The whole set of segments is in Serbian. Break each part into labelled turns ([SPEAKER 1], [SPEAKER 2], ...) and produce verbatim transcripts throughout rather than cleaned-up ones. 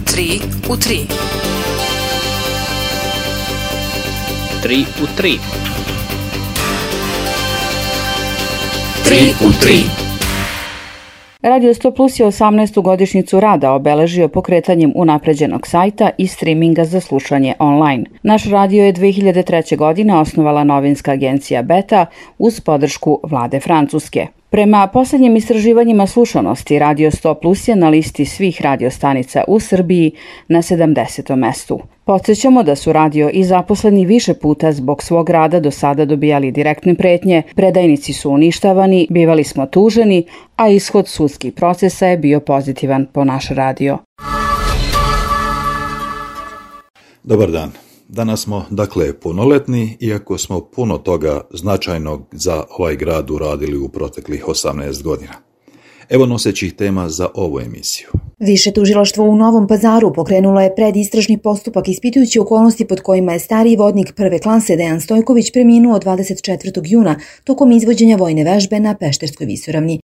[SPEAKER 1] Tri u tri.
[SPEAKER 2] Tri u tri.
[SPEAKER 1] Tri u tri.
[SPEAKER 3] Radio sto plus je osamnaestu godišnjicu rada obeležio pokretanjem unapređenog sajta i streaminga za slušanje online. Naš radio je dve hiljade treće. godine osnovala novinska agencija Beta uz podršku vlade Francuske. Prema posljednjim istraživanjima slušanosti, Radio sto plus je na listi svih radiostanica u Srbiji na sedamdesetom mestu. Podsjećamo da su radio i zaposleni više puta zbog svog rada do sada dobijali direktne pretnje, predajnici su uništavani, bivali smo tuženi, a ishod sudskih procesa je bio pozitivan po naš radio.
[SPEAKER 4] Dobar dan. Danas smo, dakle, punoletni, iako smo puno toga značajnog za ovaj grad uradili u proteklih osamnaest godina. Evo nosećih tema za ovu emisiju.
[SPEAKER 5] Više tužilaštvo u Novom Pazaru pokrenulo je predistražni postupak ispitujući okolnosti pod kojima je stariji vodnik prve klase Dejan Stojković preminuo dvadeset četvrtog juna tokom izvođenja vojne vežbe na Pešterskoj visoravni.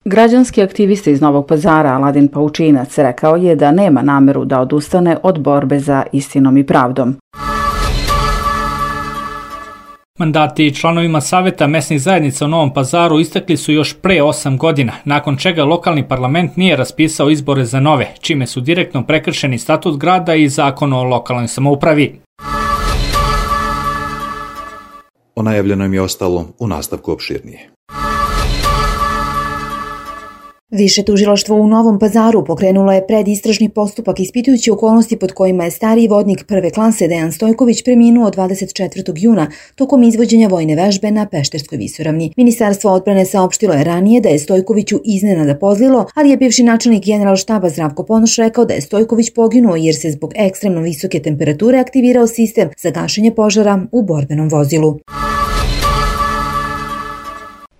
[SPEAKER 3] Građanski aktivista iz Novog Pazara Aladin Paučinac rekao je da nema nameru da odustane od borbe za istinom i pravdom.
[SPEAKER 2] Mandati članovima Saveta mesnih zajednica u Novom Pazaru istekli su još pre osam godina, nakon čega lokalni parlament nije raspisao izbore za nove, čime su direktno prekršeni statut grada i zakon o lokalnoj samoupravi.
[SPEAKER 4] O najavljenom je ostalo u nastavku opširnije.
[SPEAKER 5] Više tužilaštvo u Novom Pazaru pokrenulo je predistražni postupak ispitujući okolnosti pod kojima je stariji vodnik prve klase Dejan Stojković preminuo dvadeset četvrtog juna tokom izvođenja vojne vežbe na Pešterskoj visoravni. Ministarstvo odbrane saopštilo je ranije da je Stojkoviću iznenada pozlilo, ali je bivši načelnik Generalštaba Zdravko Ponoš rekao da je Stojković poginuo jer se zbog ekstremno visoke temperature aktivirao sistem za gašenje požara u borbenom vozilu.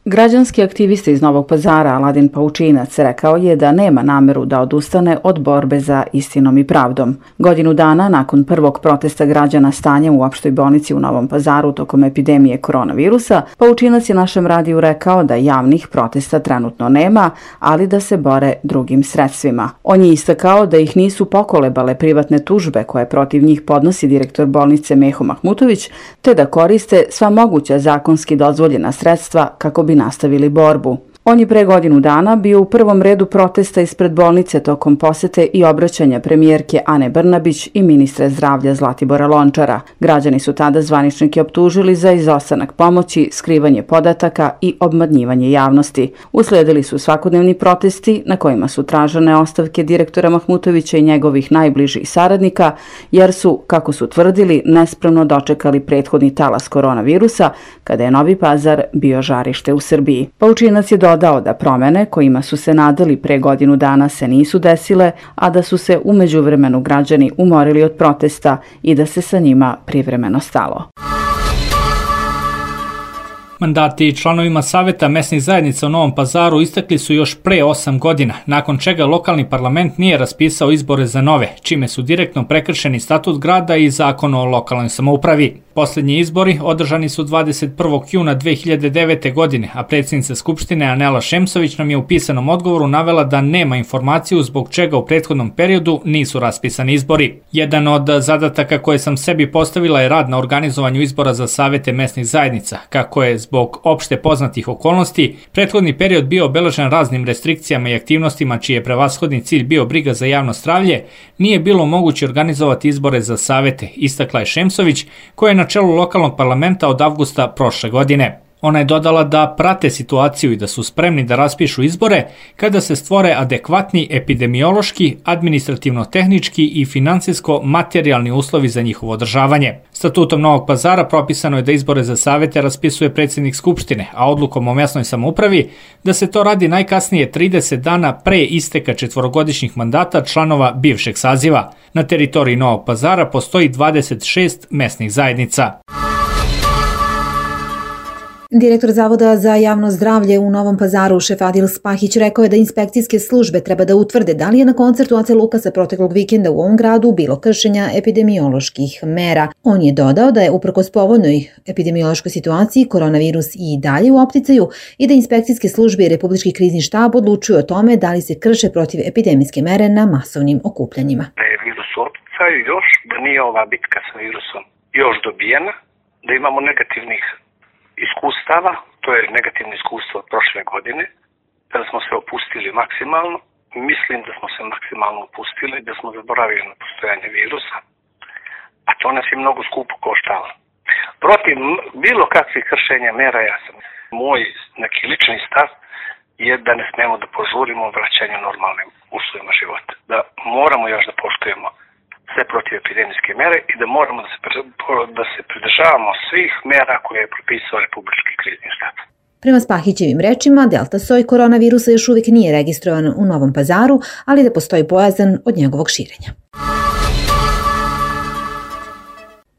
[SPEAKER 3] Građanski aktivista iz Novog Pazara Aladin Paučinac rekao je da nema nameru da odustane od borbe za istinom i pravdom. Godinu dana nakon prvog protesta građana stanjem u opštoj bolnici u Novom Pazaru tokom epidemije koronavirusa, Paučinac je našem radiju rekao da javnih protesta trenutno nema, ali da se bore drugim sredstvima. On je istakao da ih nisu pokolebale privatne tužbe koje protiv njih podnosi direktor bolnice Meho Mahmutović, te da koriste sva moguća zakonski dozvoljena sredstva kako bi nastavili borbu. On je pre godinu dana bio u prvom redu protesta ispred bolnice tokom posete i obraćanja premijerke Ane Brnabić i ministra zdravlja Zlatibora Lončara. Građani su tada zvaničnike optužili za izostanak pomoći, skrivanje podataka i obmanjivanje javnosti. Usledili su svakodnevni protesti na kojima su tražene ostavke direktora Mahmutovića i njegovih najbližih saradnika, jer su, kako su tvrdili, nespremno dočekali prethodni talas koronavirusa, kada je Novi Pazar bio žarište u Srbiji. Paučinac je dodao da promene kojima su se nadali pre godinu dana se nisu desile, a da su se u međuvremenu građani umorili od protesta i da se sa njima privremeno stalo.
[SPEAKER 2] Mandati članovima Saveta mesnih zajednica u Novom Pazaru istekli su još pre osam godina, nakon čega lokalni parlament nije raspisao izbore za nove, čime su direktno prekršeni statut grada i zakon o lokalnoj samoupravi. Poslednji izbori održani su dvadeset prvog juna dve hiljade devete. godine, a predsjednica Skupštine Anela Šemsović nam je u pisanom odgovoru navela da nema informaciju zbog čega u prethodnom periodu nisu raspisani izbori. Jedan od zadataka koje sam sebi postavila je rad na organizovanju izbora za savete mesnih zajednica, kako je zbog opšte poznatih okolnosti prethodni period bio obeležen raznim restrikcijama i aktivnostima čiji je prevashodni cilj bio briga za javno zdravlje, nije bilo moguće organizovati izbore za savete, istakla je Šemsović, koja je na čelu lokalnog parlamenta od avgusta prošle godine. Ona je dodala da prate situaciju i da su spremni da raspišu izbore kada se stvore adekvatni epidemiološki, administrativno-tehnički i finansijsko-materijalni uslovi za njihovo održavanje. Statutom Novog Pazara propisano je da izbore za savete raspisuje predsjednik Skupštine, a odlukom o mesnoj samoupravi da se to radi najkasnije trideset dana pre isteka četvorogodišnjih mandata članova bivšeg saziva. Na teritoriji Novog Pazara postoji dvadeset šest mesnih zajednica.
[SPEAKER 5] Direktor Zavoda za javno zdravlje u Novom Pazaru, šef Adil Spahić, rekao je da inspekcijske službe treba da utvrde da li je na koncertu Ace Lukasa proteklog vikenda u ovom gradu bilo kršenja epidemioloških mera. On je dodao da je uprkos povoljnoj epidemiološkoj situaciji koronavirus i dalje u opticaju i da inspekcijske službe i Republički krizni štab odlučuju o tome da li se krše protiv epidemijske mere na masovnim okupljanjima.
[SPEAKER 6] Da je virus u opticaju još, da nije ova bitka sa virusom još dobijena, da imamo negativnih iskustava, to je negativno iskustvo od prošle godine, kada smo se opustili maksimalno. Mislim da smo se maksimalno opustili, da smo zaboravili na postojanje virusa, a to nas je mnogo skupo koštalo. Protiv bilo kakvih kršenja mera, ja sam, moj neki lični stav je da ne smemo da požurimo vraćanju normalnim uslovima života. Da moramo još da poštujemo sve protiv epidemijske mere i da moramo da se, da se pridržavamo svih mera koje je propisao Republički krizni štab.
[SPEAKER 5] Prema Spahićevim rečima, delta soj koronavirusa još uvijek nije registrovan u Novom Pazaru, ali da postoji bojazan od njegovog širenja.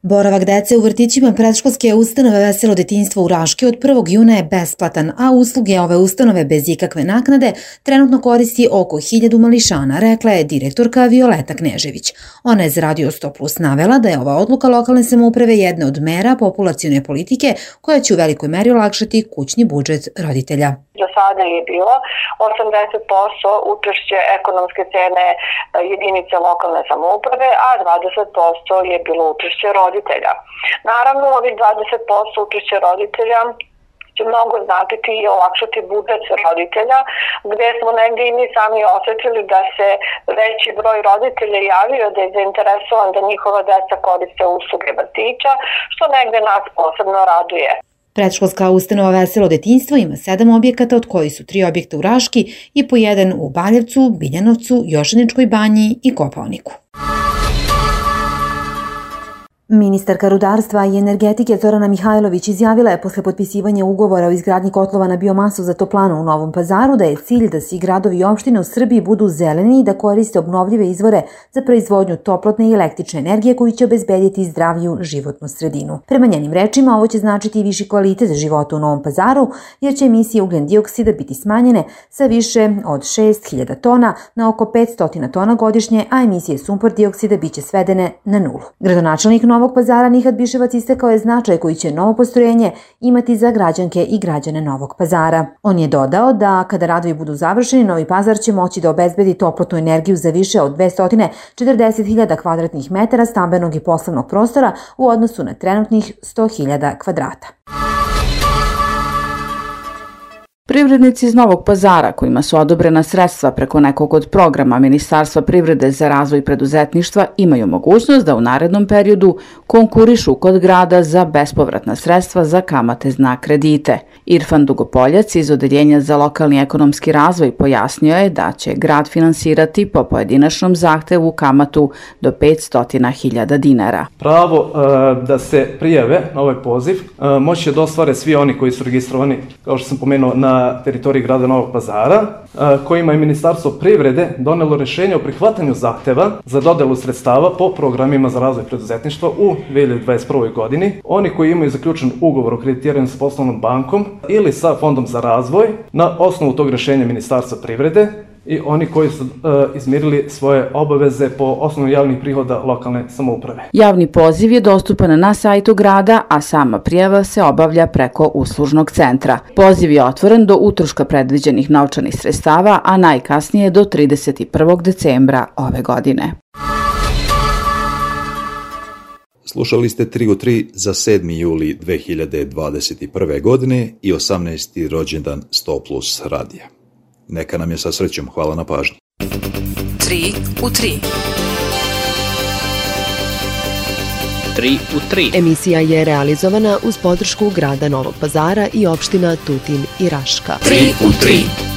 [SPEAKER 5] Boravak dece u vrtićima predškolske ustanove Veselo detinjstvo u Raški od prvog juna je besplatan, a usluge ove ustanove bez ikakve naknade trenutno koristi oko hiljadu mališana, rekla je direktorka Violeta Knežević. Ona je za Radio sto plus navela da je ova odluka lokalne samouprave jedna od mera populacione politike koja će u velikoj meri olakšati kućni budžet roditelja.
[SPEAKER 7] Do sada je bilo osamdeset posto učešće ekonomske cene jedinice lokalne samouprave, a dvadeset posto je bilo učešće roditelja. Naravno, ovih dvadeset posto učešće roditelja će mnogo značiti i olakšati budžet roditelja, gdje smo negdje i mi sami osjetili da se veći broj roditelja javio da je zainteresovan da njihova deca koriste usluge vrtića, što negdje nas posebno raduje.
[SPEAKER 5] Predškolska ustanova Veselo detinjstvo ima sedam objekata, od kojih su tri objekta u Raški i po jedan u Baljevcu, Biljanovcu, Jošaničkoj banji i Kopaoniku. Ministarka rudarstva i energetike Zorana Mihajlović izjavila je posle potpisivanja ugovora o izgradnji kotlova na biomasu za toplanu u Novom Pazaru da je cilj da svi gradovi i opštine u Srbiji budu zeleni i da koriste obnovljive izvore za proizvodnju toplotne i električne energije koji će obezbediti zdraviju životnu sredinu. Prema njenim rečima, ovo će značiti i viši kvalitet života u Novom Pazaru, jer će emisije ugljen dioksida biti smanjene sa više od šest hiljada tona na oko petsto tona godišnje, a emisije sumpor dioksida biće svedene na nulu. Gradonačelnik Novog Pazara Nihat Biševac istakao je značaj koji će novo postrojenje imati za građanke i građane Novog Pazara. On je dodao da kada radovi budu završeni, Novi Pazar će moći da obezbedi toplotnu energiju za više od dvesta četrdeset hiljada kvadratnih metara stambenog i poslovnog prostora u odnosu na trenutnih sto hiljada kvadrata.
[SPEAKER 3] Privrednici iz Novog Pazara, kojima su odobrena sredstva preko nekog od programa Ministarstva privrede za razvoj preduzetništva, imaju mogućnost da u narednom periodu konkurišu kod grada za bespovratna sredstva za kamate na kredite. Irfan Dugopoljac iz Odeljenja za lokalni ekonomski razvoj pojasnio je da će grad finansirati po pojedinačnom zahtevu kamatu do petsto hiljada dinara.
[SPEAKER 8] Pravo e, da se prijave na ovaj poziv e, moći će da ostvare svi oni koji su registrovani, kao što sam pomenuo, na na teritoriji grada Novog Pazara, kojima je Ministarstvo privrede donelo rješenje o prihvatanju zahteva za dodelu sredstava po programima za razvoj preduzetništva u dve hiljade dvadeset prvoj. godini. Oni koji imaju zaključen ugovor o kreditiranju sa poslovnom bankom ili sa Fondom za razvoj na osnovu tog rješenja Ministarstva privrede i oni koji su e, izmirili svoje obaveze po osnovu javnih prihoda lokalne samouprave.
[SPEAKER 3] Javni poziv je dostupan na sajtu grada, a sama prijava se obavlja preko uslužnog centra. Poziv je otvoren do utroška predviđenih novčanih sredstava, a najkasnije do trideset prvog decembra ove godine.
[SPEAKER 4] Slušali ste tri u tri za sedmi juli dve hiljade dvadeset prve. godine i osamnaesti rođendan sto plus radija. Neka nam je sa srećom. Hvala na pažnji.
[SPEAKER 1] tri u tri.
[SPEAKER 9] tri u tri. Emisija je realizovana uz podršku grada Novog Pazara i opština Tutin i Raška.
[SPEAKER 1] tri u tri.